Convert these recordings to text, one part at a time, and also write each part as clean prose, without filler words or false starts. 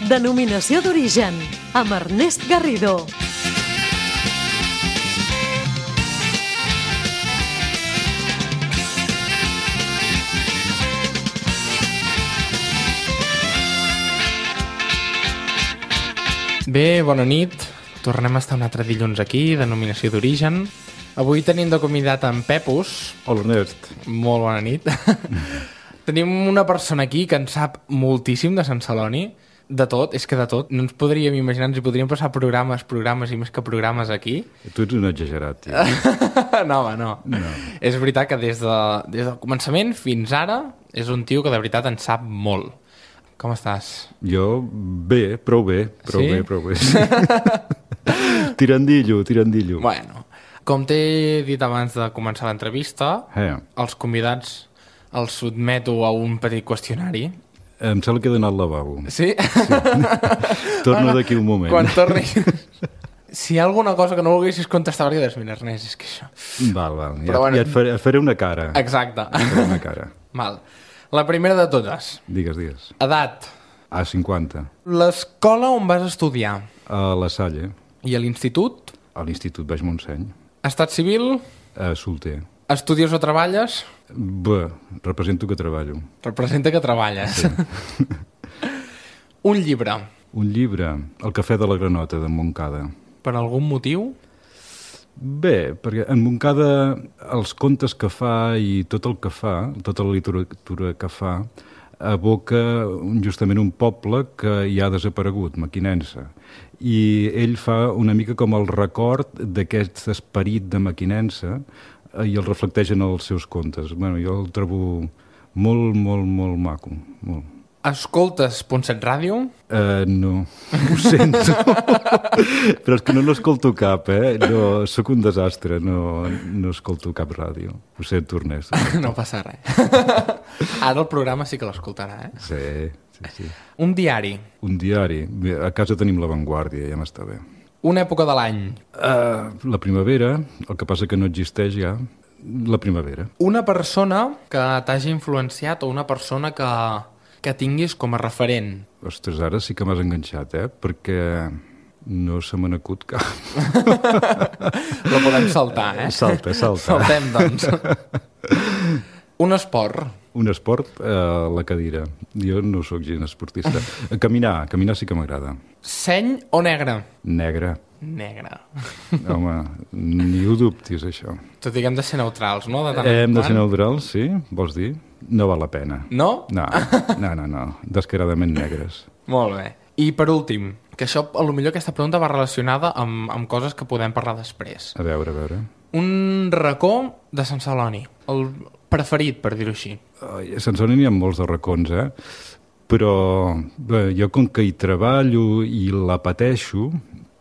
Denominació d'origen, amb Ernest Garrido. Bé, bona nit. Tornem a estar un altre dilluns aquí, Denominació d'origen. Avui tenim de convidat en Pepus. Hola, Ernest. Molt bona nit. Tenim una persona aquí que en sap moltíssim de Sant Celoni. De tot, és que de tot. No ens podríem imaginar, ens hi podríem passar programes i més que programes aquí. Tu ets un exagerat, tio. No, home, no. És veritat que des del començament fins ara és un tio que de veritat en sap molt. Com estàs? Jo, bé, prou bé. Sí? Prou bé. Tirandillo. Bueno, com t'he dit abans de començar l'entrevista, els convidats els sotmeto a un petit qüestionari. Em sembla que he d'anar al lavabo. Sí? Torno d'aquí un moment. Quan tornis... Si hi ha alguna cosa que no volguessis contestar, perquè dius, mira, Ernest, és que això... Val. Ja et faré una cara. Exacte. Et faré una cara. Val. La primera de totes. Digues. Edat. A 50. L'escola on vas estudiar? A la Salle. I a l'institut? A l'Institut Baix Montseny. Estat civil? Solter. Estudies o treballes? Bé, represento que treballo. Representa que treballes. Sí. Un llibre. Un llibre, El cafè de la Granota, de Montcada. Per algun motiu? Bé, perquè en Montcada els contes que fa i tot el que fa, tota la literatura que fa, evoca justament un poble que ja ha desaparegut, Mequinensa. I ell fa una mica com el record d'aquest esperit de Mequinensa i el reflecteix en els seus contes. Bueno, jo el trobo molt maco, molt. Escoltes Ponset Ràdio? No, ho sento. Però és que no l'escolto cap, No, sóc un desastre, no escolto cap ràdio. Ho sento, Ernest. No passa res. Ara el programa sí que l'escoltarà, Sí. Un diari? Un diari? Bé, a casa tenim La Vanguardia, ja m'està bé. Una època de l'any? La primavera, el que passa que no existeix ja. La primavera. Una persona que t'hagi influenciat o una persona que tinguis com a referent? Ostres, ara sí que m'has enganxat, Perquè no se me n'acut cap. La podem saltar, Salta. Saltem, doncs. Un esport? Un esport, la cadira. Jo no sóc gens esportista. Caminar sí que m'agrada. Seny o negre? Negre. Home, ni ho dubtis, això. Tot i que hem de ser neutrals, no? Hem de ser neutrals, sí? Vols dir? No val la pena. No? No. Descaradament negres. Molt bé. I per últim, que això, potser aquesta pregunta va relacionada amb coses que podem parlar després. A veure. Un racó de Sant Celoni. El preferit, per dir-ho així. A Sant Celoni n'hi ha molts de racons, Però bé, jo com que hi treballo i la pateixo,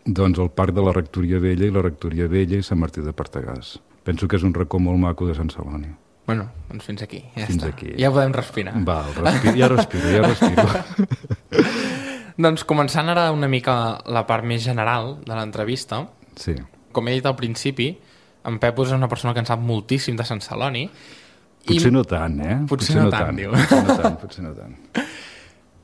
doncs el Parc de la Rectoria Vella i la Rectoria Vella i Sant Martí de Partagàs. Penso que és un racó molt maco de Sant Celoni. Bueno, doncs fins aquí. Aquí. Ja podem respirar. Val, ja respiro. Doncs començant ara una mica la part més general de l'entrevista. Sí. Com he dit al principi, en Pepus és una persona que en sap moltíssim de Sant Celoni. Potser no tant, Potser no tant, diu. Potser no tant.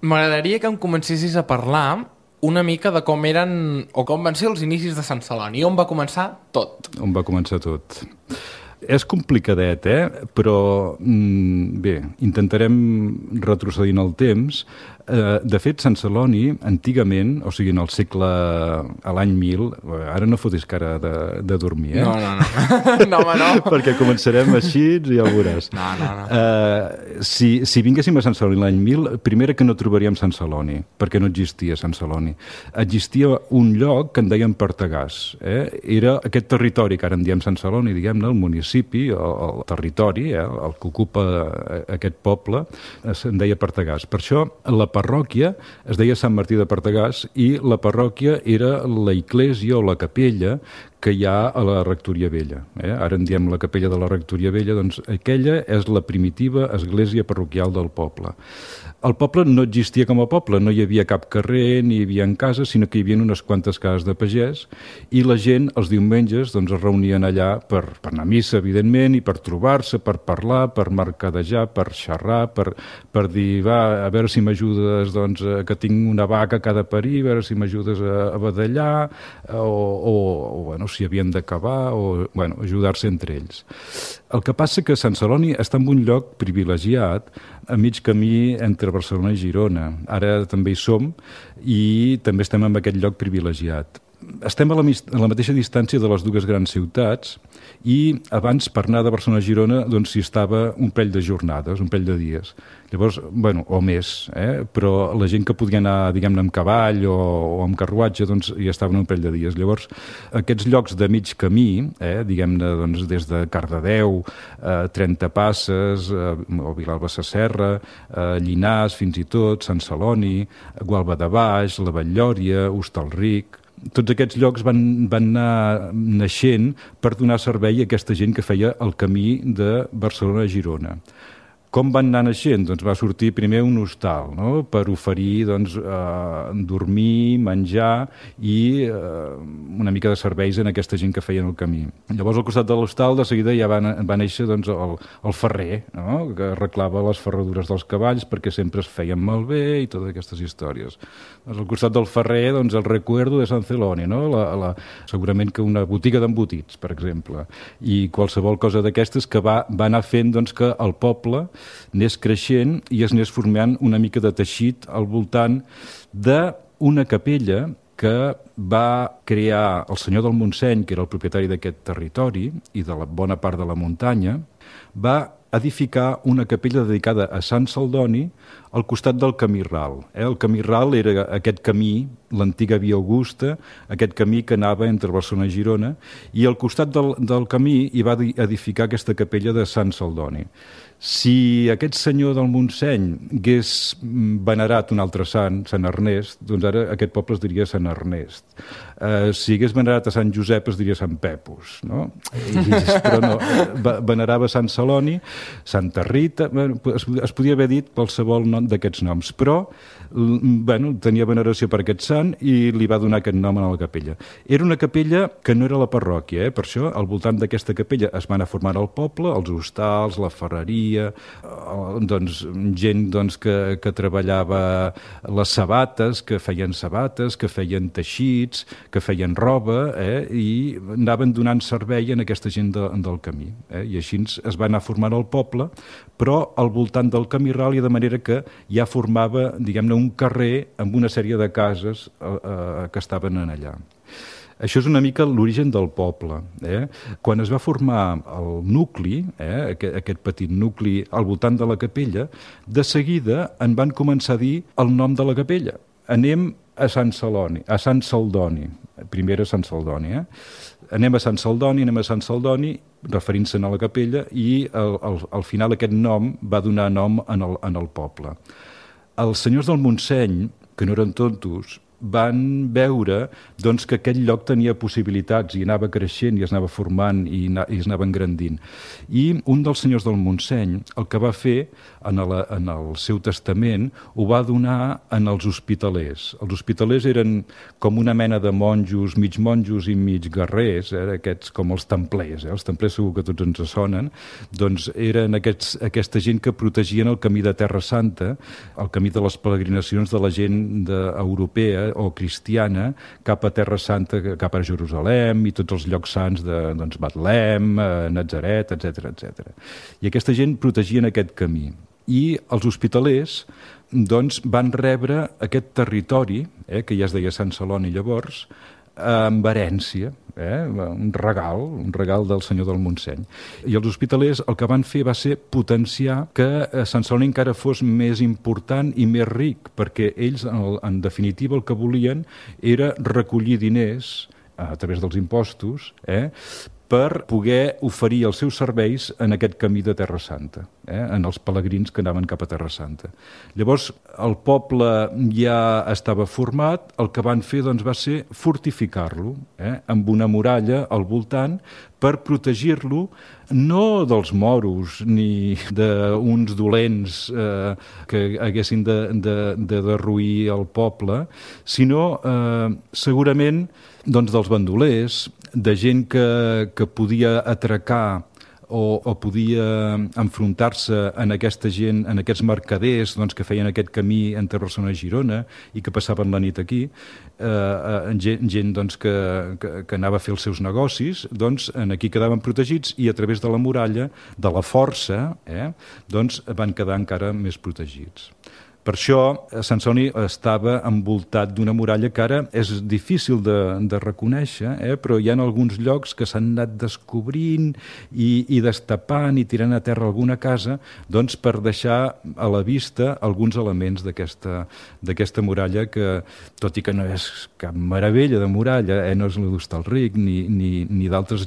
M'agradaria que em comencessis a parlar una mica de com eren o com van ser els inicis de Sant Celoni. On va començar tot? On va començar tot? És complicadet, però bé, intentarem retrocedir en el temps. De fet, Sant Celoni, antigament, o sigui, en el segle, a l'any 1000, ara no fotis cara de dormir, No. No, home, no. Perquè començarem així i ja ho veuràs. No. Si vinguéssim a Sant Celoni l'any 1000, primera que no trobaríem Sant Celoni, perquè no existia Sant Celoni. Existia un lloc que en deien Partagàs. Era aquest territori que ara en diem Sant Celoni, diguem-ne, el municipi, el territori, el que ocupa aquest poble, se'n deia Partagàs. Per això la parròquia es deia Sant Martí de Partagàs i la parròquia era la església o la capella que hi ha a la Rectoria Vella. Ara en diem la capella de la Rectoria Vella, doncs aquella és la primitiva església parroquial del poble. El poble no existia com a poble, no hi havia cap carrer, ni hi havia cases, sinó que hi havia unes quantes cases de pagès, i la gent els diumenges doncs, es reunien allà per anar a missa, evidentment, i per trobar-se, per parlar, per mercadejar, per xerrar, per dir, va, a veure si m'ajudes, doncs, que tinc una vaca que ha de parir, a veure si m'ajudes a badallar, o bueno, si havien d'acabar, o bueno, ajudar-se entre ells. El que passa que Sant Celoni està en un lloc privilegiat, a mig camí entre Barcelona i Girona. Ara també hi som i també estem en aquest lloc privilegiat. Estem a la mateixa distància de les dues grans ciutats i abans per anar de Barcelona a Girona doncs s'hi estava un parell de jornades, un parell de dies. Llavors, bueno, o més, però la gent que podia anar, diguem-ne, amb cavall o amb carruatge, doncs hi estaven un parell de dies. Llavors, aquests llocs de mig camí, diguem-ne, doncs, des de Cardedeu, Trenta Passes, o Vilalba Sasserra, Llinars, fins i tot, Sant Celoni, Gualba de Baix, la Batllòria, Hostalric. Tots aquests llocs van anar naixent per donar servei a aquesta gent que feia el camí de Barcelona a Girona. Com van anar naixent? Doncs va sortir primer un hostal, no? Per oferir doncs, dormir, menjar i una mica de serveis en aquesta gent que feien el camí. Llavors al costat de l'hostal de seguida ja va néixer doncs, el ferrer, no? Que arreglava les ferradures dels cavalls perquè sempre es feien malbé i totes aquestes històries. Doncs, al costat del ferrer doncs, el recuerdo de Sant Celoni, no? Segurament que una botiga d'embotits, per exemple, i qualsevol cosa d'aquestes que va anar fent doncs, que el poble anés creixent i es anés formant una mica de teixit al voltant d'una capella que va crear el senyor del Montseny, que era el propietari d'aquest territori i de la bona part de la muntanya, va edificar una capella dedicada a Sant Celdoni al costat del camí ral. El camí ral era aquest camí, l'antiga Via Augusta, aquest camí que anava entre Barcelona i Girona, i al costat del camí hi va edificar aquesta capella de Sant Celdoni. Si aquest senyor del Montseny hagués venerat un altre sant, Sant Ernest, doncs ara aquest poble es diria Sant Ernest. Si hagués venerat a Sant Josep es diria Sant Pepus, no? Però no, venerava Sant Celoni, Santa Rita, es podia haver dit qualsevol nom d'aquests noms, però bueno, tenia veneració per aquest sant i li va donar aquest nom a la capella. Era una capella que no era la parròquia, per això al voltant d'aquesta capella es va anar formant el poble, els hostals, la ferreria, doncs, gent doncs, que treballava les sabates, que feien sabates, que feien teixits, que feien roba, i anaven donant servei en aquesta gent del camí. I així es va anar formant el poble, però al voltant del camí ral, i de manera que ja formava, diguem-ne, un carrer amb una sèrie de cases que estaven allà. Això és una mica l'origen del poble. Quan es va formar el nucli, aquest petit nucli al voltant de la capella, de seguida en van començar a dir el nom de la capella. Anem a Sant Celoni, a Sant Celdoni. Primer era Sant Celdoni, Anem a Sant Celdoni, referint-se'n a la capella, i al final aquest nom va donar nom en el poble. Els senyors del Montseny, que no eren tontos, van veure doncs, que aquest lloc tenia possibilitats i anava creixent i es anava formant i es anava engrandint. I un dels senyors del Montseny el que va fer en el seu testament ho va donar en els hospitalers. Els hospitalers eren com una mena de monjos i mig guerrers, aquests com els templers. Els templers segur que tots ens sonen. Doncs eren aquesta gent que protegien el camí de Terra Santa, el camí de les peregrinacions de la gent europea o cristiana cap a Terra Santa, cap a Jerusalem i tots els llocs sants de Betlem, Natzaret, etc. I aquesta gent protegien aquest camí. I els hospitalers doncs, van rebre aquest territori, que ja es deia Sant Celoni llavors, amb herència, un regal del senyor del Montseny. I els hospitalers el que van fer va ser potenciar que Sant Celoni encara fos més important i més ric, perquè ells, en definitiva, el que volien era recollir diners a través dels impostos, per poder oferir els seus serveis en aquest camí de Terra Santa, en els pelegrins que anaven cap a Terra Santa. Llavors, el poble ja estava format, el que van fer doncs, va ser fortificar-lo, amb una muralla al voltant per protegir-lo no dels moros ni d'uns dolents que haguessin de derruir el poble, sinó segurament doncs, dels bandolers, de gent que podia atracar o podia enfrontar-se en aquesta gent, en aquests mercaders doncs, que feien aquest camí entre Barcelona i Girona i que passaven la nit aquí, gent doncs, que anava a fer els seus negocis, doncs aquí quedaven protegits i a través de la muralla, de la força, doncs van quedar encara més protegits. Per això, Sant Celoni estava envoltat d'una muralla que ara és difícil de reconèixer, però hi ha alguns llocs que s'han anat descobrint i destapant i tirant a terra alguna casa doncs, per deixar a la vista alguns elements d'aquesta muralla que, tot i que no és cap meravella de muralla, no és la d'Hostalric ni d'altres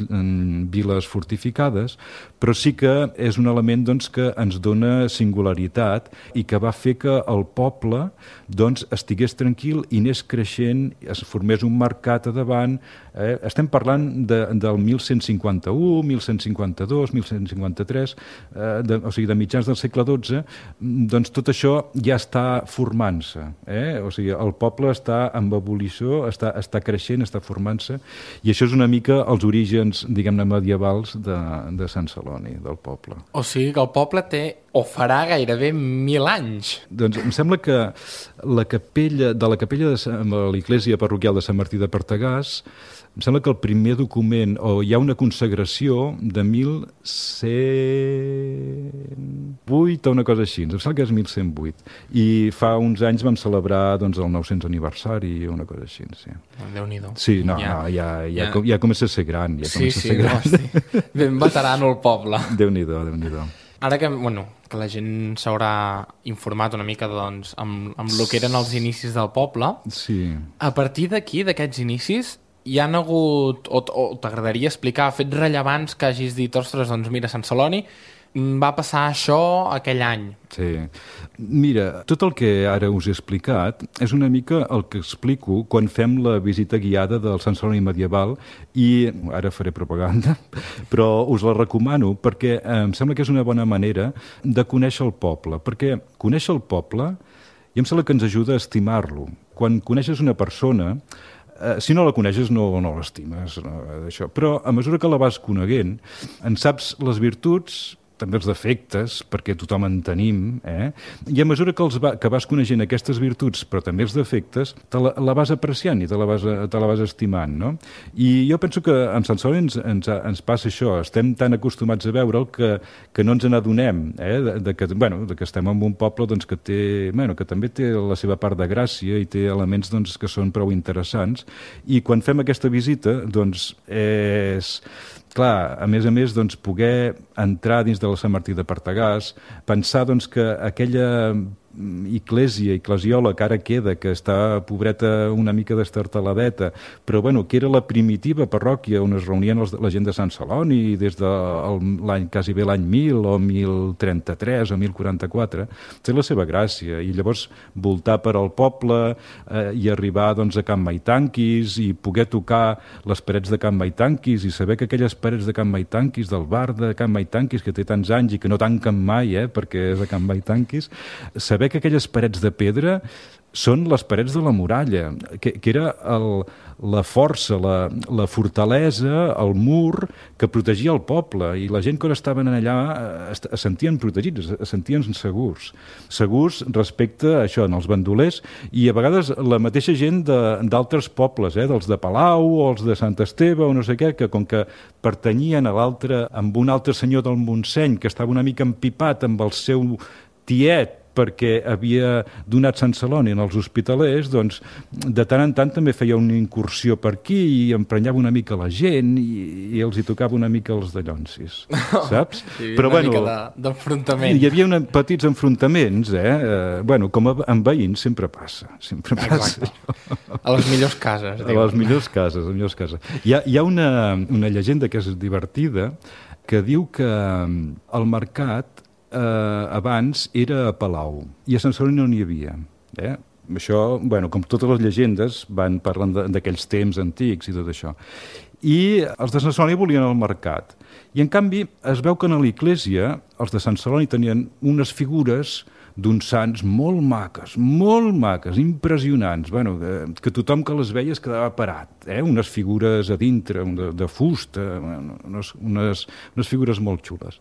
viles fortificades, però sí que és un element doncs, que ens dona singularitat i que va fer que el poble doncs, estigués tranquil i anés creixent, es formés un mercat a davant. Estem parlant del 1151, 1152, 1153, o sigui, de mitjans del segle XII, doncs tot això ja està formant-se. O sigui, el poble està en evolució, està creixent, està formant-se, i això és una mica els orígens, diguem-ne, medievals de Sant Celoni, del poble. O sigui que el poble té o farà gairebé 1.000 anys. Doncs em sembla que la capella de l'església parroquial de Sant Martí de Pertegàs, em sembla que el primer document, o hi ha una consagració de 1108 o una cosa així, em sembla que és 1108, i fa uns anys vam celebrar doncs, el 900 aniversari o una cosa així. Sí. Déu-n'hi-do. Sí, ja comença a ser gran. Sí, ben veterano el poble. Déu-n'hi-do. Ara que la gent s'haurà informat una mica doncs, amb el que eren els inicis del poble, sí. A partir d'aquí, d'aquests inicis, hi han hagut, o t'agradaria explicar, fets rellevants que hagis dit, ostres, doncs mira, Sant Celoni va passar això aquell any. Sí. Mira, tot el que ara us he explicat és una mica el que explico quan fem la visita guiada del Sant Celoni medieval i ara faré propaganda, però us la recomano perquè em sembla que és una bona manera de conèixer el poble, perquè conèixer el poble i em sembla que ens ajuda a estimar-lo. Quan coneixes una persona, si no la coneixes no l'estimes, però a mesura que la vas coneguent en saps les virtuts, també els defectes, perquè tothom en tenim, i a mesura que vas coneixent aquestes virtuts, però també els defectes, la vas apreciant i te la vas estimant, no? I jo penso que amb Sant Celoni ens passa això, estem tan acostumats a veure'l que no ens n'adonem, que estem en un poble doncs, que també té la seva part de gràcia i té elements doncs, que són prou interessants, i quan fem aquesta visita doncs, és... Clar, a més, doncs, poder entrar dins de la Sant Martí de Pertegàs, pensar doncs, que aquella eclesiola que ara queda, que està pobreta una mica destartaladeta, però que era la primitiva parròquia on es reunien la gent de Sant Celoni des de quasi bé l'any 1000 o 1033 o 1044, té la seva gràcia, i llavors voltar per al poble i arribar doncs, a Can Maitanquis i poder tocar les parets de Can Maitanquis i saber que aquelles parets de Can Maitanquis, del bar de Can Maitanquis, que té tants anys i que no tanquen mai, perquè és a Can Maitanquis, saber que aquelles parets de pedra són les parets de la muralla, que era la força, la fortalesa, el mur que protegia el poble, i la gent quan estaven allà es sentien protegits, es sentien segurs respecte a això, als bandolers, i a vegades la mateixa gent d'altres pobles, dels de Palau o els de Sant Esteve o no sé què, que com que pertanyien amb un altre senyor del Montseny que estava una mica empipat amb el seu tiet perquè havia donat Sant Celoni als hospitalers, doncs de tant en tant també feia una incursió per aquí i emprenyava una mica la gent i els hi tocava una mica els dallonsis, saps? Però, una mica d'enfrontament. Hi havia petits enfrontaments, bueno, com amb veïns sempre passa. Exacte. A les millors cases. A les millors cases. Hi ha una llegenda que és divertida, que diu que el mercat abans era a Palau i a Sant Celoni no n'hi havia. Això, bueno, com totes les llegendes, van parlant d'aquells temps antics i tot això. I els de Sant Celoni volien el mercat. I, en canvi, es veu que a l'església els de Sant Celoni tenien unes figures d'uns sants molt maques, impressionants, bueno, que tothom que les veia es quedava parat, unes figures a dintre, de fusta, unes figures molt xules.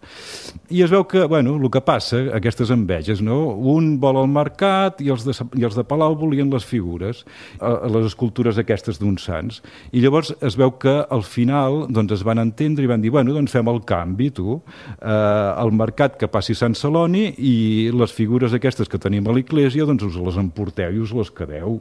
I es veu que, bueno, el que passa, aquestes enveges, no? Un vol al mercat i els de Palau volien les figures, les escultures aquestes d'uns sants. I llavors es veu que al final doncs, es van entendre i van dir, bueno, doncs fem el canvi, tu, al mercat que passi Sant Celoni i les figures aquestes que tenim a l'església, doncs us les emporteu i us les quedeu,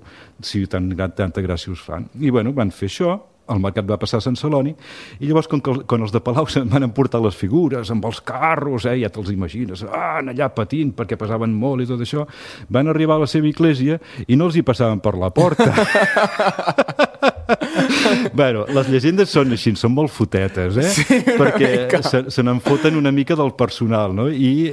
si tanta gràcia us fan. I bueno, van fer això, el mercat va passar a Sant Celoni, i llavors, quan els de Palau se'n van emportar les figures amb els carros, ja te'ls imagines, allà patint perquè pesaven molt i tot això, van arribar a la seva església i no els hi passaven per la porta. Bueno, les llegendes són així, són molt fotetes, Sí, perquè se n'enfoten una mica del personal, no? I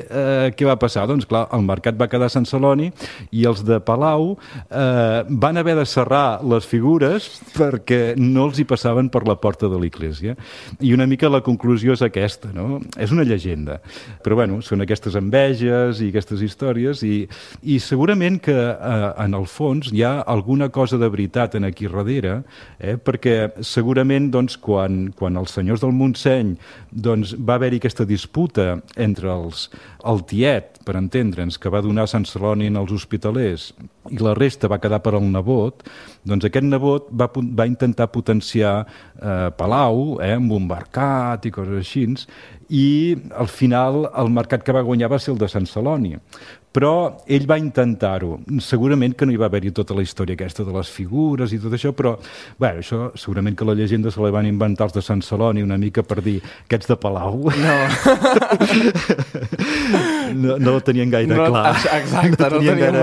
què va passar? Doncs clar, el mercat va quedar a Sant Celoni i els de Palau van haver de serrar les figures perquè no els hi passaven per la porta de l'església. I una mica la conclusió és aquesta, no? És una llegenda, però bueno, són aquestes enveges i aquestes històries i segurament que en el fons hi ha alguna cosa de veritat en aquí darrere, perquè segurament doncs, quan els senyors del Montseny doncs, va haver-hi aquesta disputa entre el tiet, per entendre'ns, que va donar Sant Celoni als hospitalers i la resta va quedar per al nebot, doncs aquest nebot va intentar potenciar Palau amb un mercat i coses així, i al final el mercat que va guanyar va ser el de Sant Celoni. Però ell va intentar-ho. Segurament que no hi va haver-hi tota la història aquesta de les figures i tot això, però bueno, això segurament que la llegenda se la van inventar els de Sant Celoni una mica per dir aquests de Palau no ho tenien gaire clar. Exacte, no tenien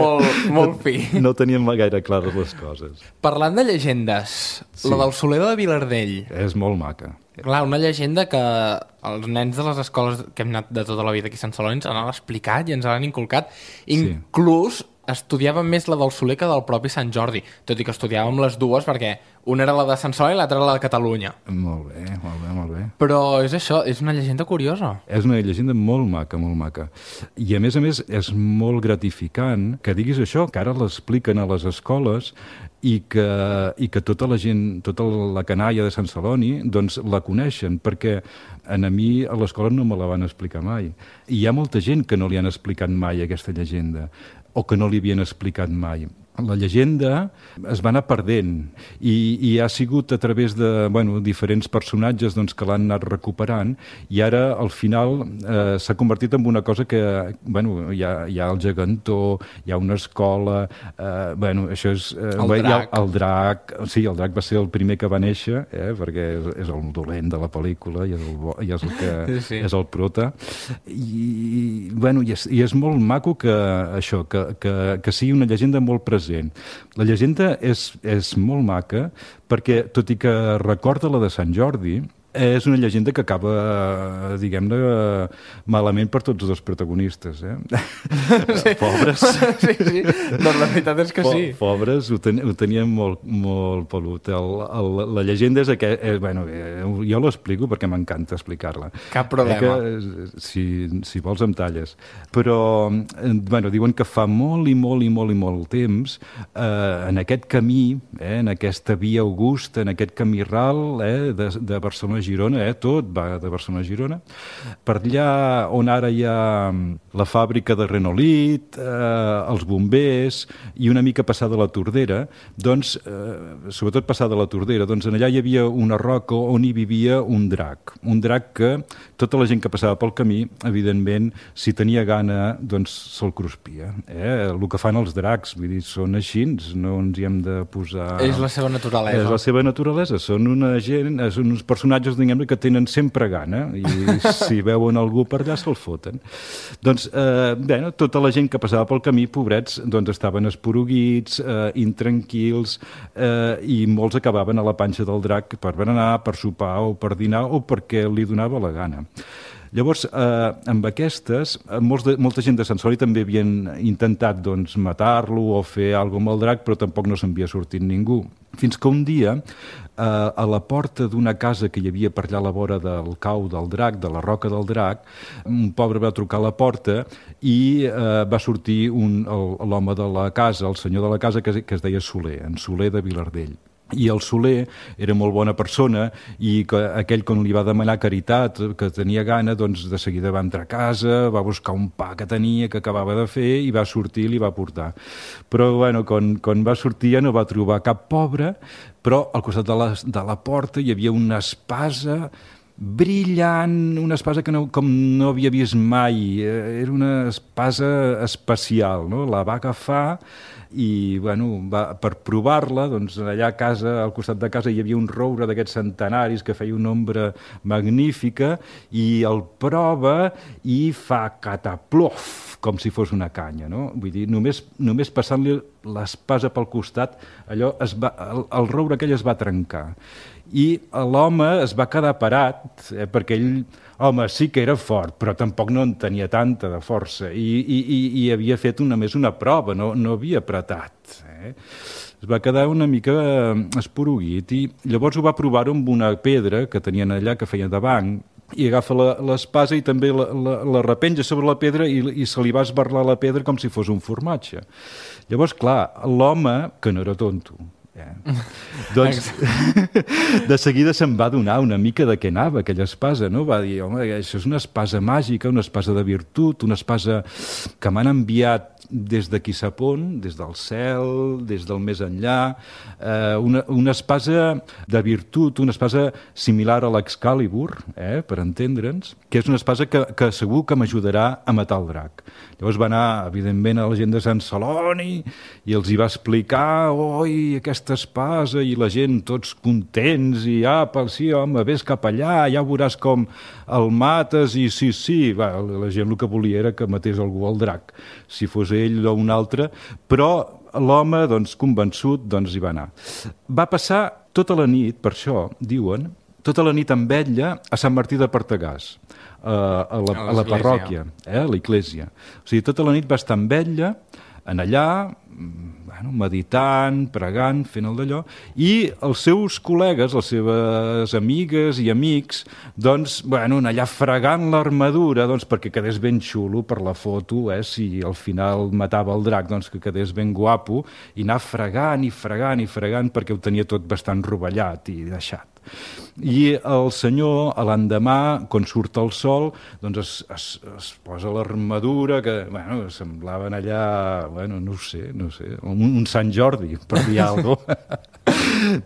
molt fi. No tenien gaire clares les coses. Parlant de llegendes, sí. La del Soler de Vilardell. És molt maca. Clar, una llegenda que els nens de les escoles que hem anat de tota la vida aquí a Sant Celoni ens han explicat i ens l'han inculcat. Inclús estudiàvem més la del Soler que del propi Sant Jordi, tot i que estudiàvem les dues perquè una era la de Sant Celoni i l'altra era la de Catalunya. Molt bé. Però és això, és una llegenda curiosa. És una llegenda molt maca. I a més, és molt gratificant que diguis això, que ara l'expliquen a les escoles i que tota la gent, tota la canalla de Sant Celoni, doncs la coneixen, perquè a mi a l'escola no me la van explicar mai. I hi ha molta gent que no li han explicat mai aquesta llegenda, o que no li havien explicat mai. La llegenda es va anar perdent i ha sigut a través de diferents personatges doncs, que l'han anat recuperant i ara al final s'ha convertit en una cosa que hi ha el gegantó, hi ha una escola, això és... El drac. Sí, el drac va ser el primer que va néixer, perquè és el dolent de la pel·lícula i és el que és el prota. I és molt maco que això, que sigui una llegenda molt present. La llegenda és molt maca perquè, tot i que recorda la de Sant Jordi, és una llegenda que acaba, diguem-ne, malament per tots els protagonistes. Sí. Pobres. Sí. Doncs la veritat és que sí. Pobres ho tenien molt pelut. La llegenda és jo l'explico perquè m'encanta explicar-la. Cap problema. Si vols em talles. Però, diuen que fa molt temps, en aquest camí, en aquesta via augusta, en aquest camí ral de Barcelona Girona, tot va de Barcelona a Girona. Per allà on ara hi ha la fàbrica de Renolit, els bombers i una mica passada la Tordera, doncs, sobretot passada la Tordera, doncs allà hi havia una roca on hi vivia un drac que tota la gent que passava pel camí, evidentment, si tenia gana, doncs se'l cruspia. El que fan els dracs, vull dir, són així, no ens hi hem de posar... És la seva naturalesa. És la seva naturalesa, són uns personatges, diguem-ne, que tenen sempre gana i si veuen algú per allà se'l foten. Doncs, tota la gent que passava pel camí, pobrets, doncs estaven esporuguits, intranquils, i molts acabaven a la panxa del drac per berenar, per sopar o per dinar o perquè li donava la gana. Llavors, amb aquestes, molta gent de Sant Celoni també havien intentat matar-lo o fer alguna cosa amb el drac, però tampoc no s'havia sortit ningú. Fins que un dia, a la porta d'una casa que hi havia per allà a la vora del cau del drac, de la roca del drac, un pobre va trucar a la porta i va sortir l'home de la casa, el senyor de la casa, que es deia Soler, en Soler de Vilardell. I el Soler era molt bona persona i aquell quan li va demanar caritat, que tenia gana, doncs de seguida va entrar a casa, va buscar un pa que tenia, que acabava de fer, i va sortir i li va portar. Però, bueno, quan va sortir ja no va trobar cap pobre, però al costat de la porta hi havia una espasa brillant, una espasa que com no havia vist mai, era una espasa especial, no? La va agafar i, bueno, per provar-la, doncs allà a casa, al costat de casa, hi havia un roure d'aquests centenaris que feia una ombra magnífica i el prova i fa cataplof, com si fos una canya, no? Vull dir, només passant-li l'espasa pel costat, el roure aquell es va trencar. I l'home es va quedar parat, perquè ell, home, sí que era fort, però tampoc no en tenia tanta de força, i havia fet només una prova, no havia apretat. Es va quedar una mica esporuguit, i llavors ho va provar amb una pedra que tenien allà, que feia de banc, i agafa l'espasa i també la repenja sobre la pedra i se li va esbarlar la pedra com si fos un formatge. Llavors, clar, l'home, que no era tonto, doncs de seguida se'n va donar una mica de què anava aquella espasa, no? Va dir, home, això és una espasa màgica, una espasa de virtut, una espasa que m'han enviat des de qui sap on, des del cel, des del més enllà, una espasa de virtut, una espasa similar a l'Excalibur, per entendre'ns, que és una espasa que segur que m'ajudarà a matar el drac. Llavors va anar, evidentment, a la gent de Sant Celoni i els hi va explicar, oi, aquesta espasa, i la gent tots contents, i sí, home, vés cap allà, ja veuràs com el mates, i sí, la gent el que volia era que matés algú al drac, si fos ell o un altre, però l'home, doncs, convençut, doncs hi va anar. Va passar tota la nit, per això, diuen, tota la nit amb vetlla a Sant Martí de Partagàs, a la parròquia, a l'església. O sigui, tota la nit va estar amb vetlla, en allà, meditant, pregant, fent el d'allò, i els seus col·legues, les seves amigues i amics, doncs, allà fregant l'armadura, doncs, perquè quedés ben xulo per la foto, si al final matava el drac, doncs que quedés ben guapo, i anar fregant i fregant i fregant perquè ho tenia tot bastant rovellat i deixat. I el senyor, a l'endemà, quan surt el sol, doncs es posa l'armadura, que, semblaven allà, no sé, un Sant Jordi, per dir alguna cosa.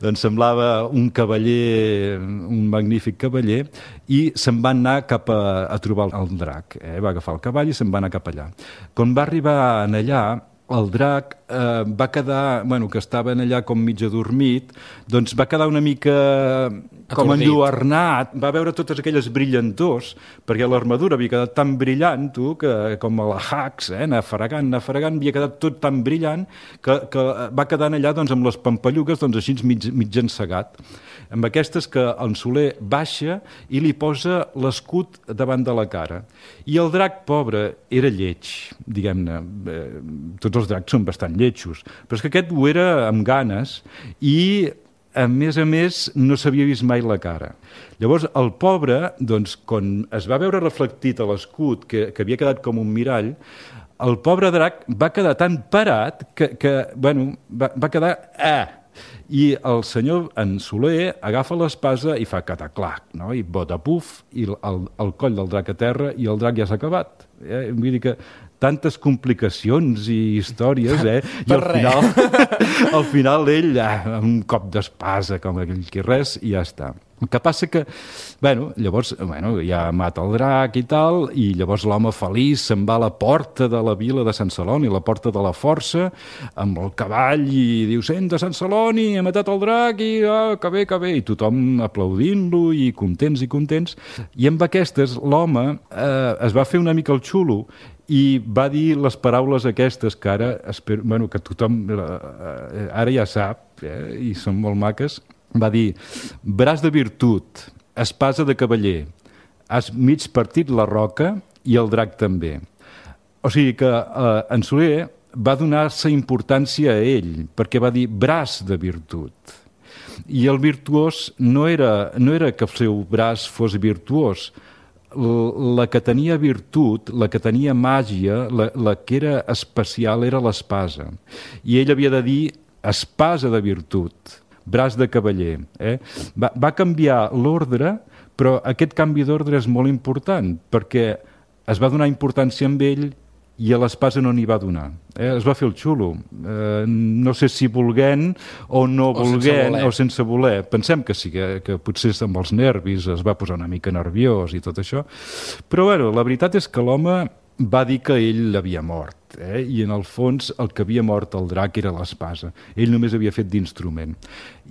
Doncs semblava un cavaller, un magnífic cavaller, i se'n va anar cap a trobar el drac. Va agafar el cavall i se'n va anar cap allà. Quan va arribar allà, el drac va quedar, que estava allà com mig adormit, doncs va quedar una mica com enlluernat, va veure totes aquelles brillantors, perquè l'armadura havia quedat tan brillant, que com a la Hax, anar fregant, havia quedat tot tan brillant, que va quedar allà doncs, amb les pampallugues doncs, així mig encegat. Amb aquestes que en Soler baixa i li posa l'escut davant de la cara. I el drac, pobre, era lleig, diguem-ne. Tots els dracs són bastant lletjos, però és que aquest ho era amb ganes i, a més, no s'havia vist mai la cara. Llavors, el pobre, doncs, quan es va veure reflectit a l'escut, que havia quedat com un mirall, el pobre drac va quedar tan parat que va quedar I el senyor, en Soler, agafa l'espasa i fa cataclac, no? I bota puf, i el coll del drac a terra, i el drac ja s'ha acabat. Vull dir que tantes complicacions i històries, i al final ell, un cop d'espasa, com aquell que res, i ja està. El que passa que, llavors, ja mata el drac i tal, i llavors l'home feliç se'n va a la porta de la vila de Sant Celoni, la porta de la força, amb el cavall, i diu, sent de Sant Celoni, ha matat el drac, i que bé, i tothom aplaudint-lo, i contents, i amb aquestes l'home es va fer una mica el xulo, i va dir les paraules aquestes que ara, espero, que tothom ara ja sap, i són molt maques. Va dir, braç de virtut, espasa de cavaller, has mig partit la roca i el drac també. O sigui que en Soler va donar-se importància a ell, perquè va dir braç de virtut. I el virtuós no era que el seu braç fos virtuós, la que tenia virtut, la que tenia màgia, la que era especial era l'espasa. I ell havia de dir espasa de virtut, braç de cavaller. Va canviar l'ordre, però aquest canvi d'ordre és molt important, perquè es va donar importància amb ell i a l'espasa no n'hi va donar. Es va fer el xulo. No sé si volent o no volent, o sense voler. Pensem que sí, que potser amb els nervis es va posar una mica nerviós i tot això. Però la veritat és que l'home va dir que ell l'havia mort, i en el fons el que havia mort el drac era l'espasa. Ell només havia fet d'instrument.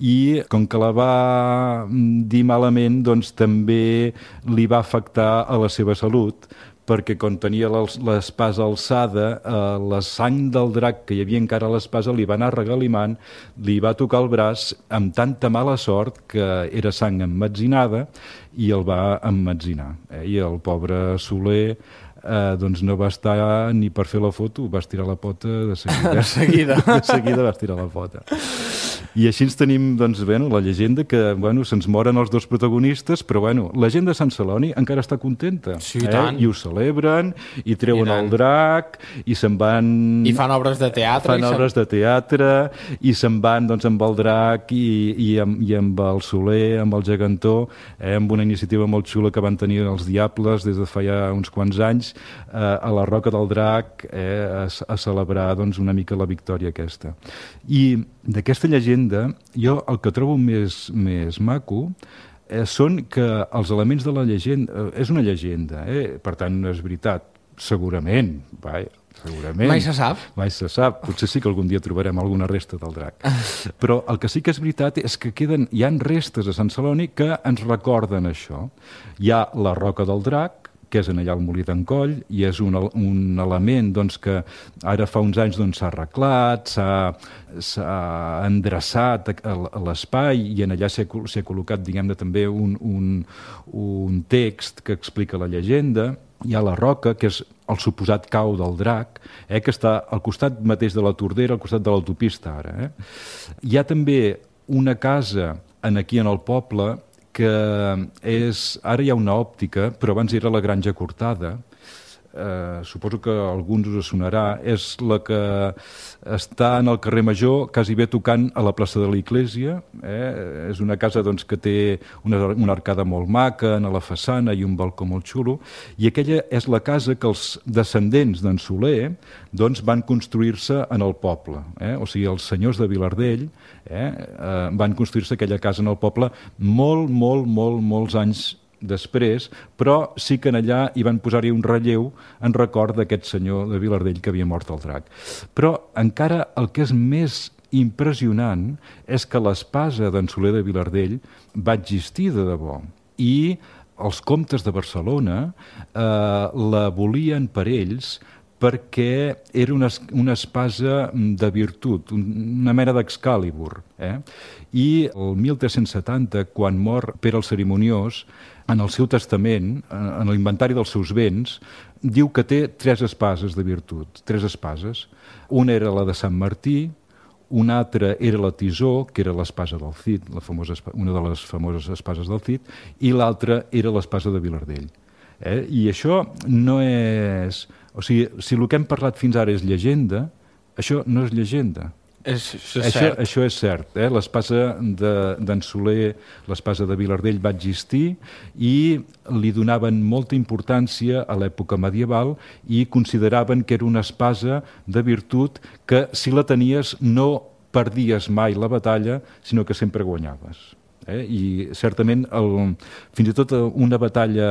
I com que la va dir malament, doncs també li va afectar a la seva salut, perquè quan tenia l'espasa alçada, la sang del drac que hi havia encara a l'espasa li va anar regalimant, li va tocar el braç amb tanta mala sort que era sang emmetzinada i el va emmetzinar. I el pobre Soler doncs no va estar ni per fer la foto, va estirar la pota de seguida. De seguida va estirar la pota. I així ens tenim, doncs, la llegenda que, se'ns moren els dos protagonistes, però, la gent de Sant Celoni encara està contenta. Sí, tant. I ho celebren, i treuen el drac, i se'n van... I fan obres de teatre. I se'n van, doncs, amb el drac i amb el Soler, amb el gegantó, amb una iniciativa molt xula que van tenir els Diables des de fa ja uns quants anys, a la Roca del Drac, a celebrar, doncs, una mica la victòria aquesta. I d'aquesta llegenda, jo el que trobo més maco són que els elements de la llegenda... És una llegenda, per tant no és veritat, segurament, segurament. Mai se sap. Mai se sap. Potser sí que algun dia trobarem alguna resta del drac. Però el que sí que és veritat és que hi ha restes a Sant Celoni que ens recorden això. Hi ha la Roca del Drac, que és en allà al Molí d'en Coll, i és un element doncs, que ara fa uns anys s'ha arreglat, s'ha endreçat a l'espai, i en allà s'ha col·locat, diguem-ne, també un text que explica la llegenda. Hi ha la Roca, que és el suposat cau del drac, que està al costat mateix de la Tordera, al costat de l'autopista ara. Hi ha també una casa aquí en el poble que ara hi ha una òptica, però abans era la Granja Cortada. Suposo que a alguns us sonarà. És la que està en el carrer Major, quasi bé tocant a la plaça de l'Església. És una casa doncs, que té una arcada molt maca a la façana i un balcó molt xulo, i aquella és la casa que els descendents d'en Soler doncs, van construir-se en el poble. O sigui, els senyors de Vilardell van construir-se aquella casa en el poble molts anys després, però sí que en allà hi van posar-hi un relleu en record d'aquest senyor de Vilardell que havia mort el drac. Però encara el que és més impressionant és que l'espasa d'en Soler de Vilardell va existir de debò, i els comtes de Barcelona la volien per ells perquè era una espasa de virtut, una mena d'Excalibur. I el 1370, quan mor Pere el Cerimoniós, en el seu testament, en l'inventari dels seus béns, diu que té 3 espases de virtut, 3 espases. Una era la de Sant Martí, una altra era la Tisó, que era l'espasa del Cid, una de les famoses espases del Cid, i l'altra era l'espasa de Vilardell. I això no és... O sigui, si el que hem parlat fins ara és llegenda, això no és llegenda. Això és cert. L'espasa d'en Soler, l'espasa de Vilardell va existir i li donaven molta importància a l'època medieval i consideraven que era una espasa de virtut que si la tenies no perdies mai la batalla, sinó que sempre guanyaves. I certament fins i tot una batalla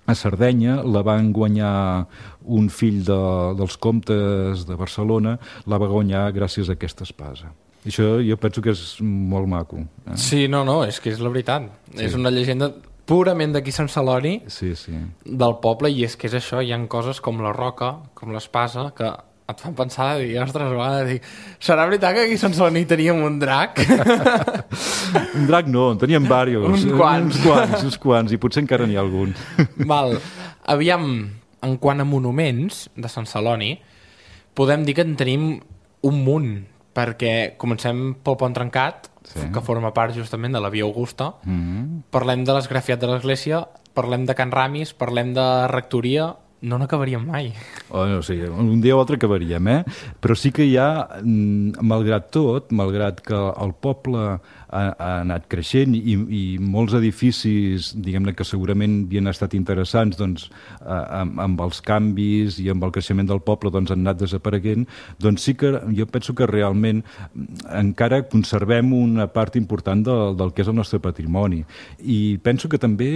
a Sardenya la van guanyar un fill dels comtes de Barcelona, la va guanyar gràcies a aquesta espasa. Això jo penso que és molt maco. Sí, no, és que és la veritat. Sí. És una llegenda purament d'aquí Sant Celoni, del poble, i és que és això, hi ha coses com la roca, com l'espasa, que et fan pensar i ostres, a vegades serà veritat que aquí a Sant Celoni teníem un drac? Un drac no, en teníem diversos. Uns quants, i potser encara n'hi ha algun. Val. Aviam, en quant a monuments de Sant Celoni, podem dir que en tenim un munt, perquè comencem pel Pont Trencat, que forma part justament de la Via Augusta, parlem de l'esgrafiat de l'església, parlem de Can Ramis, parlem de rectoria. No n'acabaríem mai. Un dia o altre acabaríem, però sí que hi ha, malgrat tot, malgrat que el poble ha anat creixent i molts edificis, diguem-ne, que segurament havien estat interessants, doncs, amb els canvis i amb el creixement del poble, doncs, han anat desapareguent, doncs sí que jo penso que realment encara conservem una part important del que és el nostre patrimoni. I penso que també,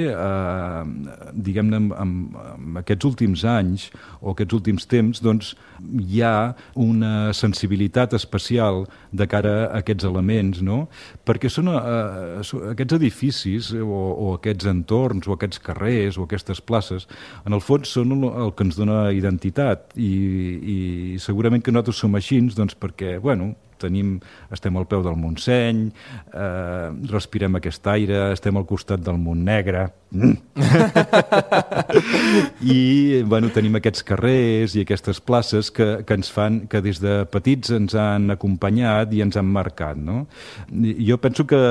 diguem-ne, amb aquests últims anys o aquests últims temps, doncs, hi ha una sensibilitat especial de cara a aquests elements, no? Perquè són aquests edificis o aquests entorns o aquests carrers o aquestes places, en el fons són el que ens dona identitat i segurament que nosaltres som així, doncs perquè, bueno, estem al peu del Montseny, respirem aquest aire, estem al costat del Montnegre i bueno, tenim aquests carrers i aquestes places que ens fan, que des de petits ens han acompanyat i ens han marcat, no? Jo penso que,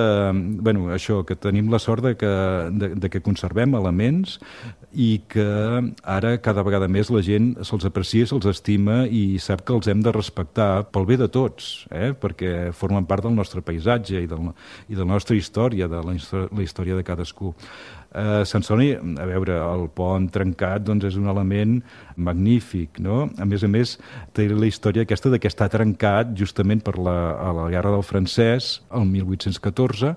bueno, això, que tenim la sort de que conservem elements i que ara cada vegada més la gent se'ls aprecia, se'ls estima i sap que els hem de respectar pel bé de tots, perquè formen part del nostre paisatge i de la nostra història, de la història de cadascú. Sant Celoni, a veure, el pont trencat doncs és un element magnífic, no? A més, té la història aquesta que està trencat justament per la Guerra del Francès, el 1814.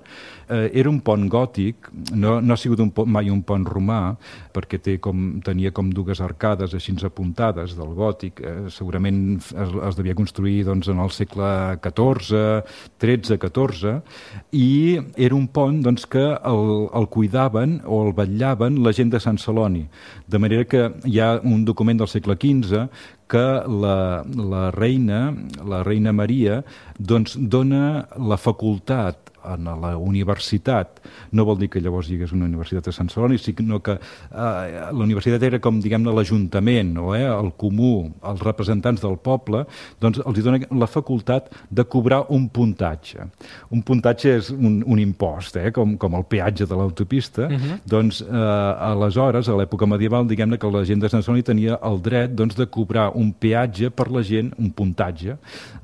Era un pont gòtic, no ha sigut mai un pont romà, perquè tenia com dues arcades així apuntades del gòtic. Segurament es devia construir doncs, en el segle XIV, XIII, XIV, i era un pont doncs, que el cuidaven o el vetllaven la gent de Sant Celoni. De manera que hi ha un document del segle XV que la reina Maria doncs, dona la facultat a la universitat, no vol dir que llavors hi hagués una universitat a Sant Celoni, sinó que la universitat era com, diguem-ne, l'Ajuntament, el comú, els representants del poble, doncs els dona la facultat de cobrar un puntatge. Un puntatge és un impost, com el peatge de l'autopista. Doncs aleshores, a l'època medieval, diguem-ne que la gent de Sant Celoni tenia el dret doncs, de cobrar un peatge per la gent, un puntatge,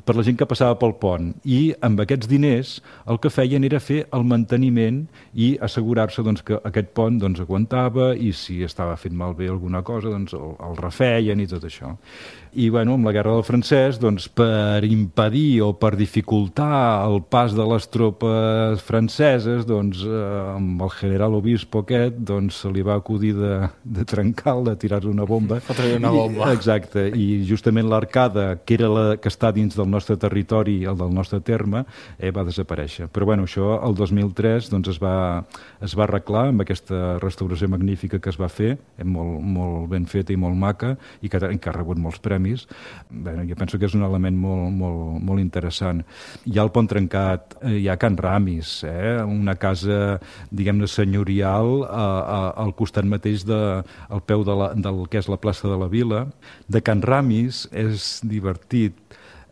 per la gent que passava pel pont. I amb aquests diners el que feien era fer el manteniment i assegurar-se doncs, que aquest pont doncs, aguantava i si estava fent malbé alguna cosa doncs, el refeien i tot això. I bueno, amb la Guerra del Francès, doncs, per impedir o per dificultar el pas de les tropes franceses, doncs, amb el general Obispo aquest, doncs, se li va acudir de trencar-la, de tirar una bomba. Fotre una bomba. Exacte, i justament l'arcada, que era la que està dins del nostre territori, el del nostre terme, va desaparèixer. Però bueno, això el 2003 doncs, es va arreglar amb aquesta restauració magnífica que es va fer, molt, molt ben feta i molt maca, i que ha rebut molts premis. Bé, jo penso que és un element molt, molt, molt interessant. Hi ha el Pont Trencat, hi ha Can Ramis, una casa, diguem-ne, senyorial al costat mateix al peu del que és la plaça de la Vila. De Can Ramis és divertit.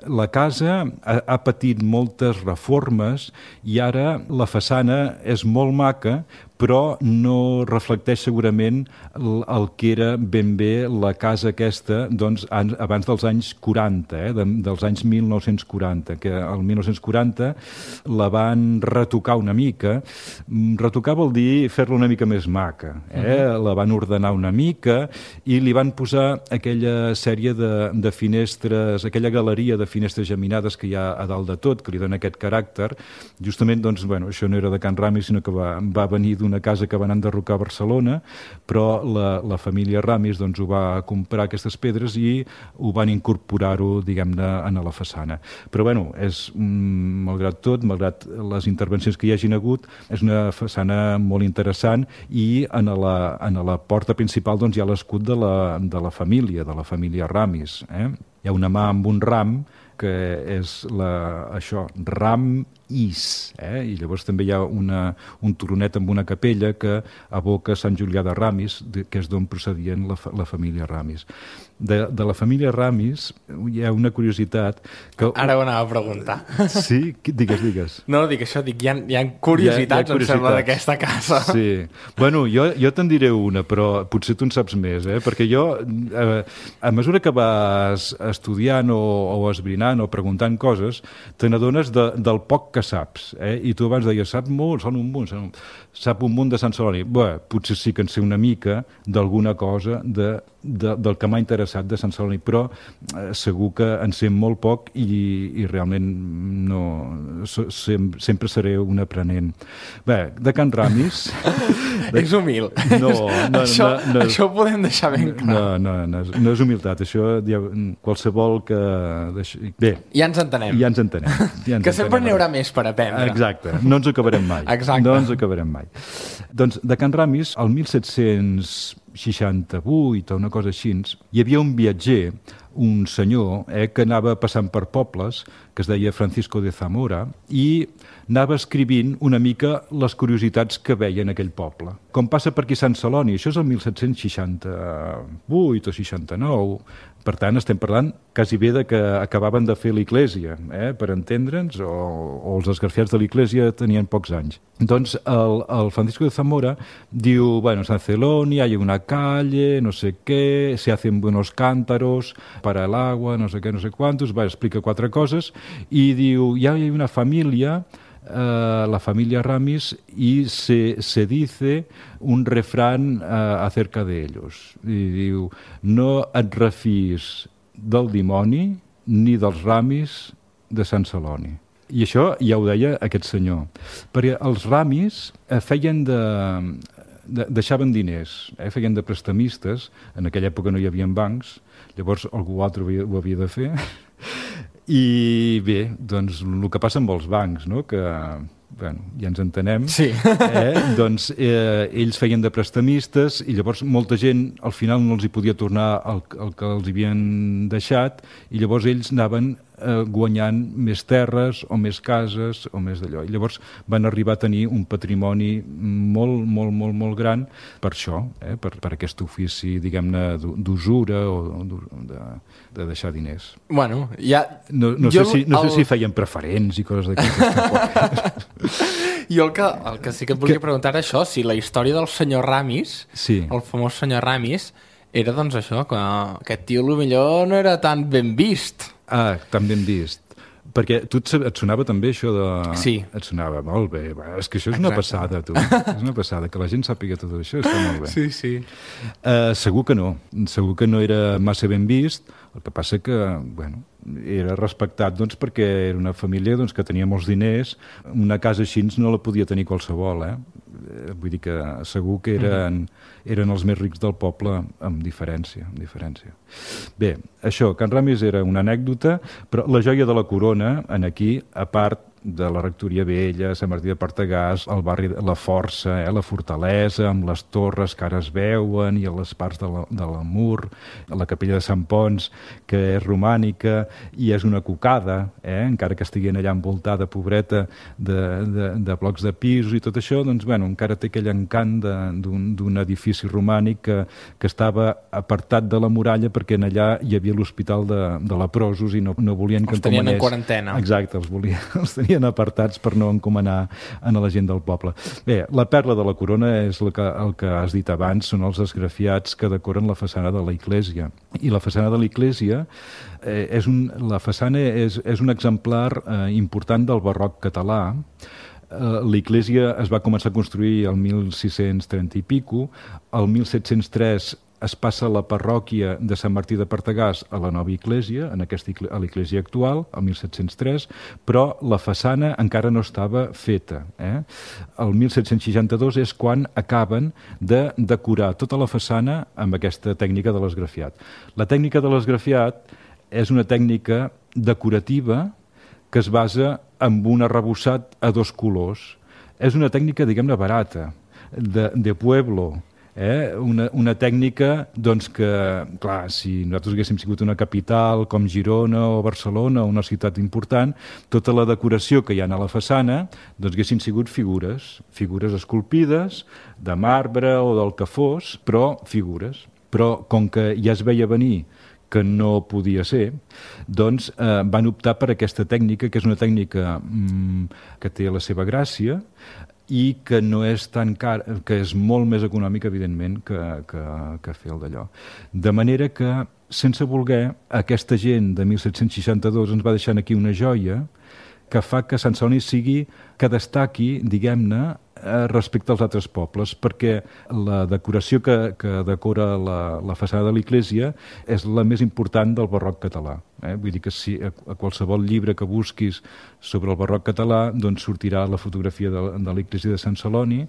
La casa ha patit moltes reformes i ara la façana és molt maca, però no reflecteix segurament el que era ben bé la casa aquesta doncs, abans dels anys 40, dels anys 1940, que el 1940 la van retocar una mica. Retocar vol dir fer-la una mica més maca. La van ordenar una mica i li van posar aquella sèrie de finestres, aquella galeria de finestres geminades que hi ha a dalt de tot, que li dona aquest caràcter. Justament, doncs, bueno, això no era de Can Ramis, sinó que va venir d'una casa que van enderrocar a Barcelona, però la família Ramis doncs, ho va comprar aquestes pedres i ho van incorporar-ho, diguem-ne, a la façana. Però, bueno, malgrat tot, malgrat les intervencions que hi hagin hagut, és una façana molt interessant i en la porta principal doncs, hi ha l'escut de la família Ramis. Hi ha una mà amb un ram, que és això, ram is, i llavors també hi ha un turonet amb una capella que evoca Sant Julià de Ramis, que és d'on procedien la família Ramis. De la família Ramis hi ha una curiositat que... Ara ho anava a preguntar. Sí? Digues. No, dic això, hi ha curiositats, em sembla, d'aquesta casa. Sí. Bueno, jo te'n diré una, però potser tu en saps més, perquè jo, a mesura que vas estudiant o esbrinant o preguntant coses, te n'adones del poc que saps. I tu abans deies, sap un munt de Sant Celoni. Bé, potser sí que en sé una mica d'alguna cosa del que m'ha interessat de Sant Celoni, però segur que en sé molt poc i realment sempre seré un aprenent. Bé, de Can Ramis... És humil. No, això ho podem deixar ben clar. No és humilitat, això qualsevol que... Bé, ja ens entenem. Que sempre n'hi haurà més per aprendre. Exacte, no ens acabarem mai. Exacte. No ens acabarem mai. Doncs de Can Ramis, el 1768 o una cosa així, hi havia un viatger, un senyor, que anava passant per pobles, que es deia Francisco de Zamora, i anava escrivint una mica les curiositats que veia en aquell poble. Com passa per aquí Sant Celoni, això és el 1768 o 69, per tant, estem parlant quasi bé de que acabaven de fer l'Iglésia, per entendre'ns, o els esgrafiats de l'Iglésia tenien pocs anys. Doncs el Francisco de Zamora diu, bueno, en San Celoni hay una calle, no sé qué, se hacen buenos cántaros para el agua, no sé qué, no sé cuántos, explica 4 coses, i diu, ya hay una familia, la familia Ramis, y se dice un refrán acerca de ellos. I diu, no et refis del dimoni ni dels Ramis de Sant Celoni. I això ja ho deia aquest senyor, perquè els Ramis deixaven diners, feien de prestamistes, en aquella època no hi havia bancs, llavors algú altre ho havia de fer, i bé, doncs el que passa amb els bancs, no? Que bueno, ja ens entenem, sí. Doncs ells feien de prestamistes i llavors molta gent al final no els hi podia tornar el que els havien deixat i llavors ells anaven guanyant més terres o més cases o més d'allò. I llavors van arribar a tenir un patrimoni molt, molt, molt, molt gran per això, per aquest ofici, diguem-ne, d'usura o de deixar diners. Bueno, ja... No sé si feien preferents i coses d'aquestes. Jo el que sí que et volia preguntar era això, si la història del senyor Ramis, sí. El famós senyor Ramis, era doncs això, que aquest tio potser no era tan ben vist. Ah, tan ben vist. Perquè tu et sonava també això de... Sí. Et sonava molt bé. És que això és una passada, tu. És una passada. Que la gent sàpiga tot això està molt bé. Sí, sí. Segur que no. Segur que no era massa ben vist. El que passa que, bueno, era respectat doncs, perquè era una família doncs, que tenia molts diners. Una casa així no la podia tenir qualsevol, Vull dir que segur que eren els més rics del poble amb diferència. Bé, això, Can Ramis era una anècdota, però la joia de la corona, aquí, a part de la Rectoria Vella, Sant Martí de Partagàs, el barri de la Força, la Fortalesa, amb les torres que ara es veuen, i les parts de l'Amur, la capella de Sant Pons, que és romànica, i és una cocada, encara que estiguin allà envoltada, pobreta, de blocs de pisos i tot això, doncs, bueno, encara té aquell encant d'un edifici romànic que estava apartat de la muralla perquè en allà hi havia l'hospital de leprosos i no volien que els tenien en quarantena. Exacte, els tenien estiguin apartats per no encomanar a la gent del poble. Bé, la perla de la corona és el que has dit abans, són els esgrafiats que decoren la façana de la Iglésia. I la façana de la Iglésia la façana és un exemplar important del barroc català. L'Iglésia es va començar a construir el 1630 i pico, el 1703 es passa la parròquia de Sant Martí de Pertegàs a la nova Iglésia, a l'Iglésia actual, el 1703, però la façana encara no estava feta. El 1762 és quan acaben de decorar tota la façana amb aquesta tècnica de l'esgrafiat. La tècnica de l'esgrafiat és una tècnica decorativa que es basa en un arrebossat a dos colors. És una tècnica, diguem-ne, barata, de pueblo, una tècnica doncs, que, clar, si nosaltres haguéssim sigut una capital com Girona o Barcelona o una ciutat important, tota la decoració que hi ha a la façana doncs, haguessin sigut figures esculpides, de marbre o del que fos, però figures. Però com que ja es veia venir que no podia ser, doncs van optar per aquesta tècnica, que és una tècnica que té la seva gràcia i que no és tan car, que és molt més econòmica, evidentment, que fer el d'allò. De manera que, sense voler, aquesta gent de 1762 ens va deixant aquí una joia que fa que Sant Celoni que destaqui, diguem-ne, respecte als altres pobles, perquè la decoració que decora la façana de l'Iglésia és la més important del barroc català. Vull dir que si a qualsevol llibre que busquis sobre el barroc català doncs sortirà la fotografia de l'Iglésia de Sant Celoni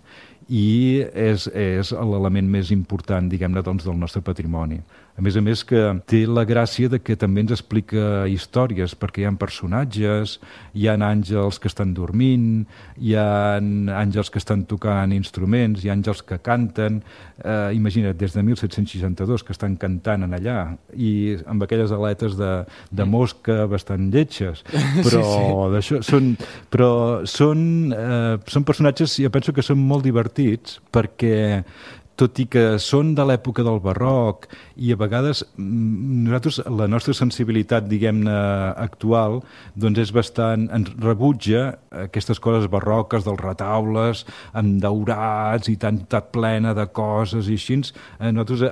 i és l'element més important, diguem-ne, doncs, del nostre patrimoni. A més que té la gràcia de que també ens explica històries, perquè hi ha personatges, hi ha àngels que estan dormint, hi ha àngels que estan tocant instruments, hi ha àngels que canten. Imagina't, des de 1762 que estan cantant en allà, i amb aquelles aletes de mosca bastant lletges, però són personatges, jo penso que són molt divertits, perquè tot i que són de l'època del barroc i a vegades nosaltres, la nostra sensibilitat, diguem-ne, actual, doncs és bastant, ens rebutja aquestes coses barroques dels retaules, amb daurats i tan plena de coses i així. Nosaltres,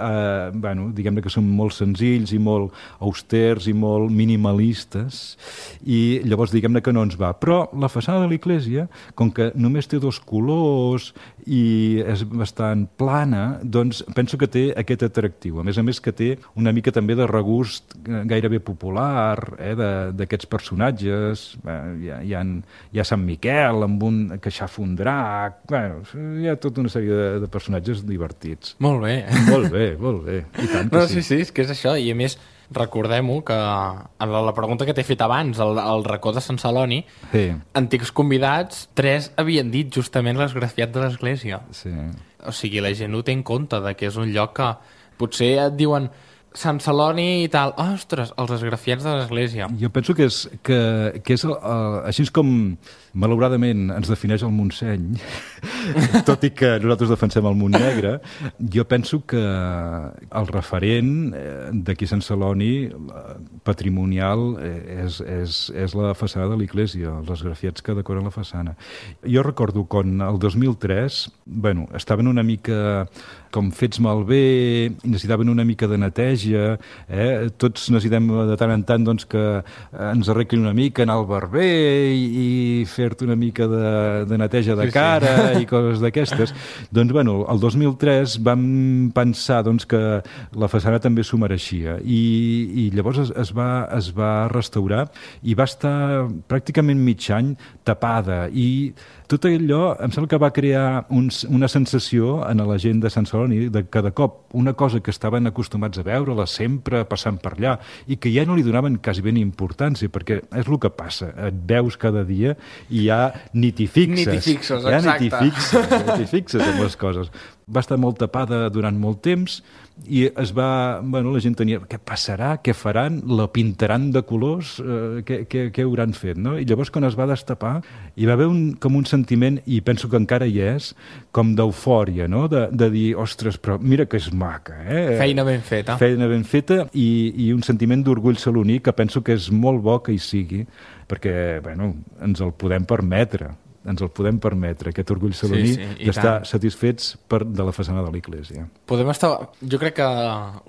diguem-ne que som molt senzills i molt austers i molt minimalistes i llavors diguem-ne que no ens va. Però la façana de l'Iglésia, com que només té dos colors i és bastant plana, doncs penso que té aquest atractiu. A més que té una mica també de regust gairebé popular, d'aquests personatges. Hi ha Sant Miquel que aixafa un drac. Hi ha tota una sèrie de personatges divertits. Molt bé. Molt bé. I tant que sí. Sí, és que és això. I a més, recordem-ho que en la pregunta que t'he fet abans, el racó de Sant Celoni, antics convidats, 3 havien dit justament l'esgrafiat de l'església. Sí. O sigui, la gent ho té en compte, que és un lloc que potser et diuen Sant Celoni i tal. Ostres, els esgrafiats de l'església. Jo penso que és així com malauradament ens defineix el Montseny, tot i que nosaltres defensem el Montnegre, jo penso que el referent d'aquí Sant Celoni patrimonial és la façana de l'Iglésia, els esgrafiats que decoren la façana. Jo recordo quan el 2003, estaven una mica com fets malbé, necessitaven una mica de neteja, tots necessitem de tant en tant doncs, que ens arreglin una mica, anar al barber i fer-te una mica de neteja de cara i coses d'aquestes. Doncs, el 2003 vam pensar doncs, que la façana també s'ho mereixia i llavors es va restaurar i va estar pràcticament mig any tapada i tot allò em sembla que va crear una sensació en la gent de Sant Celoni de que de cop una cosa que estaven acostumats a veure-la sempre passant per allà i que ja no li donaven quasi ben importància, perquè és el que passa, et veus cada dia i ja ni t'hi fixes. Exacte. fixes en les coses. Va estar molt tapada durant molt temps i la gent tenia, què passarà, què faran, la pintaran de colors, què hauran fet, no? I llavors quan es va destapar hi va haver com un sentiment, i penso que encara hi és, com d'eufòria, no? De dir, ostres, però mira que és maca, eh? Feina ben feta. Feina ben feta i un sentiment d'orgull saloní que penso que és molt bo que hi sigui, perquè, ens el podem permetre, aquest orgull saloní, d'estar satisfets de la façana de l'església. Podem estar, jo crec que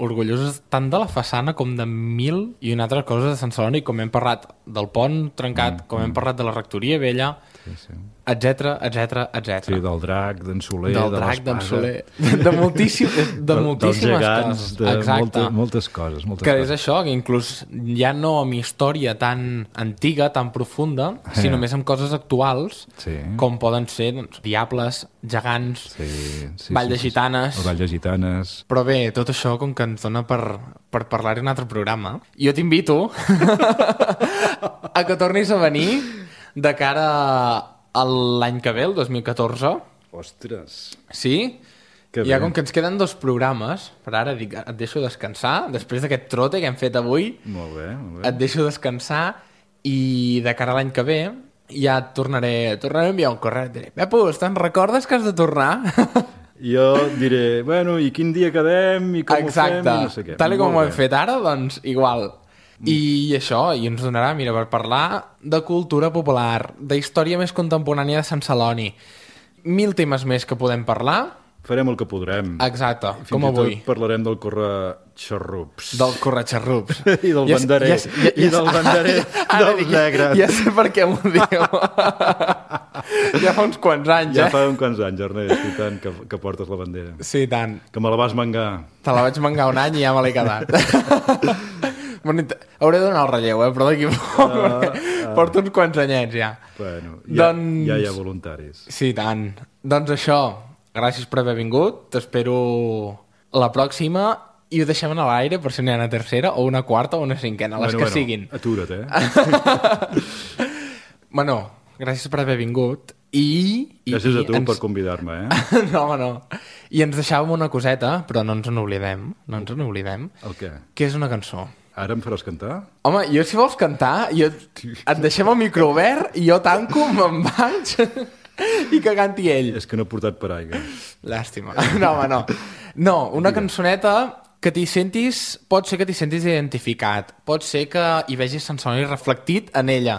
orgullosos tant de la façana com de mil i una altra cosa de Sant Celoni, com hem parlat del pont trencat, com hem parlat de la rectoria vella, etcètera. Sí, del drac, d'en Soler, del drac, d'en Soler, de moltíssimes dels gegants, coses. De moltes coses. Que és això, que inclús ja no amb història tan antiga, tan profunda, sinó més amb coses actuals, com poden ser diables, gegants, Vall de Gitanes. El Vall de Gitanes. Però bé, tot això com que ens dona per parlar-hi un altre programa. Jo t'invito a que tornis a venir de cara a l'any que ve, el 2014. Ostres! Sí? Ja com que ens queden 2 programes, per ara dic, et deixo descansar, després d'aquest trote que hem fet avui, molt bé. Et deixo descansar i de cara a l'any que ve ja et tornaré a enviar un correu, et diré, Pepus, te'n recordes que has de tornar? Jo diré, i quin dia quedem i com ho fem i no sé què. Tal com ho hem fet ara, doncs igual. I això, i ens donarà, mira, per parlar de cultura popular, d'història més contemporània de Sant Celoni, 1000 temes més que podem parlar. Farem el que podrem. Exacte, com avui. Fins i tot parlarem del corretxarrups. Del corretxarrups. I del banderer. I del banderer dels negres. Ja sé per què m'ho dieu. Ja fa uns quants anys, Ja fa uns quants anys, Ernest, i tant, que portes la bandera. Sí, tant. Que me la vas mangar. Te la vaig mangar un any i ja me l'he quedat. Hauré de donar el relleu, però d'aquí porto uns quants anyets ja. Ja hi ha voluntaris. Sí, tant. Doncs això, gràcies per haver vingut, t'espero la pròxima i ho deixem a l'aire per si n'hi ha una tercera o una quarta o una cinquena, les que siguin. Atura't, gràcies per haver vingut i gràcies a tu per convidar-me, No. I ens deixàvem una coseta, però no ens n'oblidem. El què? Que és una cançó. Ara em faràs cantar? Home, jo si vols cantar, et deixem el micro obert i jo tanco, me'n vaig i que canti ell. És que no he portat paraigua. Llàstima. No, una cançoneta que t'hi sentis, pot ser que t'hi sentis identificat, pot ser que hi vegis Sant Celoni reflectit en ella,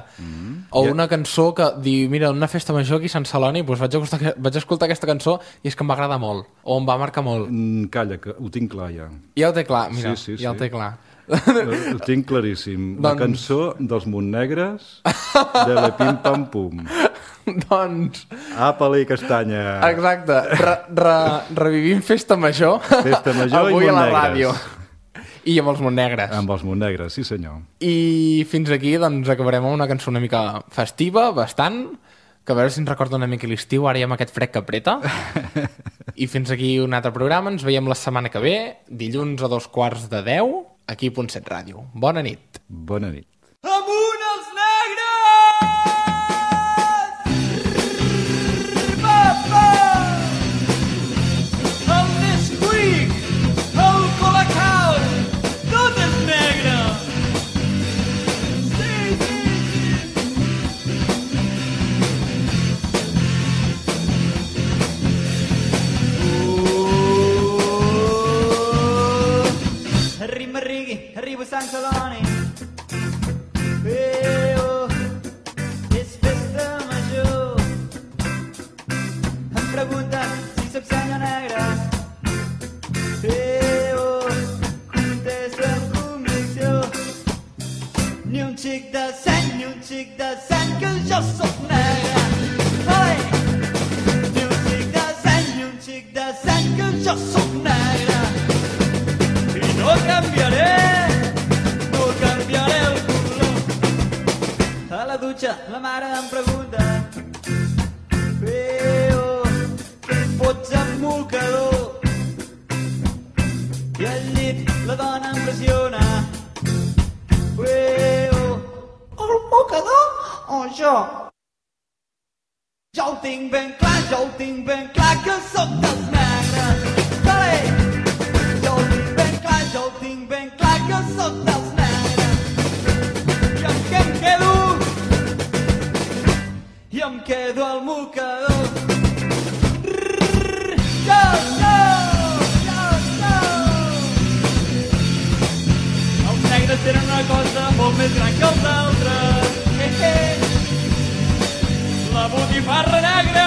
o una cançó que diu, mira, una festa major aquí a Sant Celoni, doncs vaig escoltar aquesta cançó i és que em va agradar molt, o em va marcar molt. Calla, que ho tinc clar ja. Ja ho té clar, mira, ja ho té clar. Ho tinc claríssim. La cançó dels Montnegres de la Pim Pam Pum. Doncs... Àpala i castanya. Exacte. Revivim Festa Major. Festa Major avui i a la Montnegres. ràdio. I amb els Montnegres. Amb els Montnegres, sí senyor. I fins aquí doncs acabarem amb una cançó una mica festiva, bastant, que a veure si ens recorda una mica l'estiu, ara hi ha aquest fred que apreta. I fins aquí un altre programa, ens veiem la setmana que ve, dilluns a 2:45, aquí a Punt 7 Ràdio. Bona nit. Bona nit. Amunt els negres! El Nesquik, el Colacao, tot és negre! Sí! Arriba a Sant Celoni. És festa major. Em pregunten si soc senyor negre. Contesta amb convicció. Ni un xic de seny, que jo soc negre. Ai! Ni un xic de seny, que jo soc negre. I no canviaré el color. A la dutxa la mare em pregunta: què fots amb mocador? I al llit la dona em pressiona: el mocador o jo? Jo ho tinc ben clar, jo ho tinc ben clar que sóc dels negres. Vale! Jo ho tinc ben clar, jo ho tinc ben clar que sóc dels negres. I amb què em quedo? I em quedo al mocador. Jo, jo, jo, jo. Els negres tenen una cosa molt més gran que els altres. La botifarra negra